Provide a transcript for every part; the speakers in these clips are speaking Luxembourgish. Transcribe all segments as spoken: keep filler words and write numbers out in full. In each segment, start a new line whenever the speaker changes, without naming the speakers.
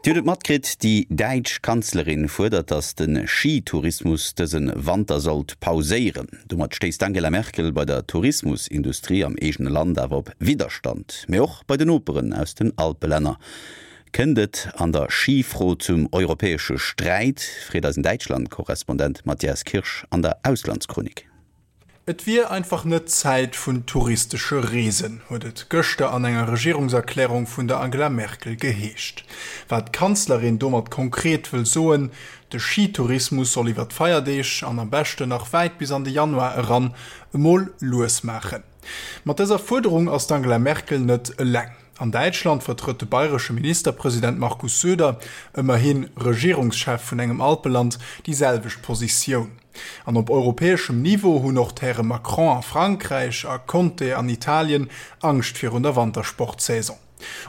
Dir hutt et matkritt, déi däitsch Kanzlerin fuerdert, datt de Schitourismus dëse Wanter sollt pauséieren. Domat stéisst d'Angela Merkel bei der Tourismusindustrie am eegene Land awer op Widderstand, mee och bei den Noperen aus den Alpelänner. Kënnt et an der Schifro zum europäesche Sträit, freet eisen Däitschland-Korrespondent Matthias Kirsch an der Auslandschronik.
Et wier einfach net Zäit vun touristesche Reesen, huet et gëschter an enger Regierungserklärung vun der Angela Merkel geheescht. Wat d'Kanzlerin domat konkret wëll soen, De Schitourismus soll iwwer d'Feierdeeg an am beschten nach wäit bis an de Januar eran emol lues maachen. Mat dëser Fuerderung ass d'Angela Merkel net eleng. An Däitschland vertrëtt de bayresche Ministerpresident Markus Söder, ëmmerhi Regierungschef vun engem Alpeland, déi selwecht Positioun. An op europäeschem Niveau hunn och d'Häre Macron a Frankräich a Conte an Italien Angscht virun der Wantersportsaison.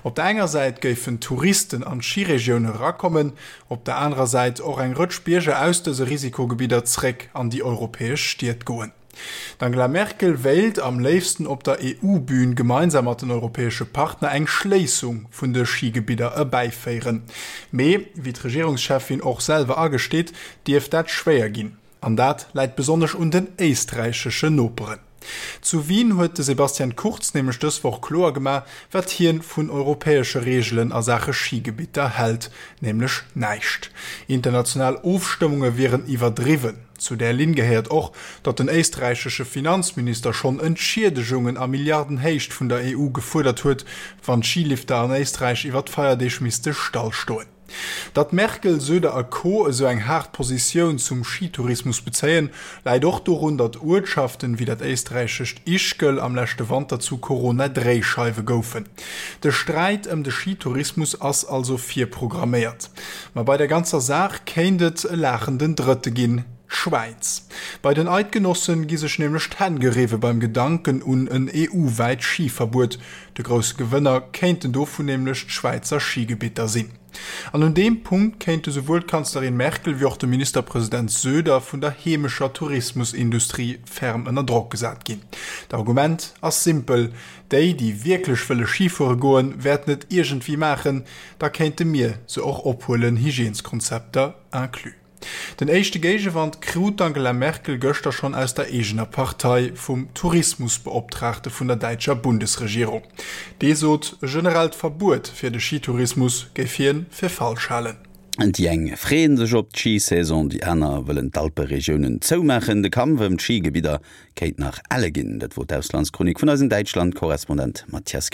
Op der enger Säit géifen Touristen an d'Schiregioune erakommen, op der anerer Säit och eng Rëtsch Bierger aus dëse Risikogebidder zréck an déi europäesch Stied goen. D'Angela Merkel wéilt am léifsten op der E U-Bün gemeinsam mat den europäesche Partner eng Schléissung vun de Schigebidder erbäiféieren. Mee, wéi d'Regierungscheffin och selwer agesteet, dierft dat schwéier ginn. An dat läit besonnesch un den éisträicheschen Noperen. Zu Wien huet de Sebastian Kurz nämlech dës Woch kloer gemaach, wat hien vun europäesche Reegelen a Saache Schigebitter hält, nämlech näischt. International Ofstëmmunge wieren iwwerdriwwen. Zu där Linn gehéiert och, datt den éisträichesche Finanzminister schonn Entschiedegungen a Milliardenhéicht vun der E U gefuerdert huet, wann d'Schilifter an Éisträich iwwer d'Feierdeeg misste stallstoen. Datt Merkel, Söder a Co. Esou eng haart Positioun zum Schitourismus bezéien, läit och dorun, datt Uertschaften wéi dat éisträichescht Ischgl am leschte Wanter zu Corona-Dréischeiwe goufen. De Sträit ëm de Schitourismus ass also virprogramméiert. Ma bei der ganzer Saach kéint et e laachenden Drëtte ginn, d'Schwäiz. Bei den Eidgenossen gi sech nämlech d'Hänn geriwwe beim Gedanken un en E U-wäit Schiverbuet. De grousse Gewënner kéinten dovun nämlech d'Schwäizer Schigebitter sinn. An un deem Punkt kéinte souwuel d'Kanzlerin Merkel wéi och de Ministerpresident Söder vun der heemescher Tourismusindustrie ferm ënner Drock gesat ginn. D'Argument ass simpel, Déi, déi wierklech wëlle Schifuere goen, wäerten et iergendwéi maachen, da kéinte mir se och ophuelen, Hygièneskonzepter inclus. Den éischte Géigewand krut d'Angela Merkel gëschter schonn aus der eegener Partei, vum Tourismusbeoptraagte vun der däitscher Bundesregierung. Dee sot, e generellt Verbuet fir de Schitourismus géif hien fir falsch halen.
Déi eng freeën sech op d'Schisaison, déi aner wëllen d'Alperegiounen zoumaachen. De Kampf ëm d'Schigebidder kéint nach elle ginn. Dat wor d'Auslandschronik vun eisem Däitschland-Korrespondent Matthias.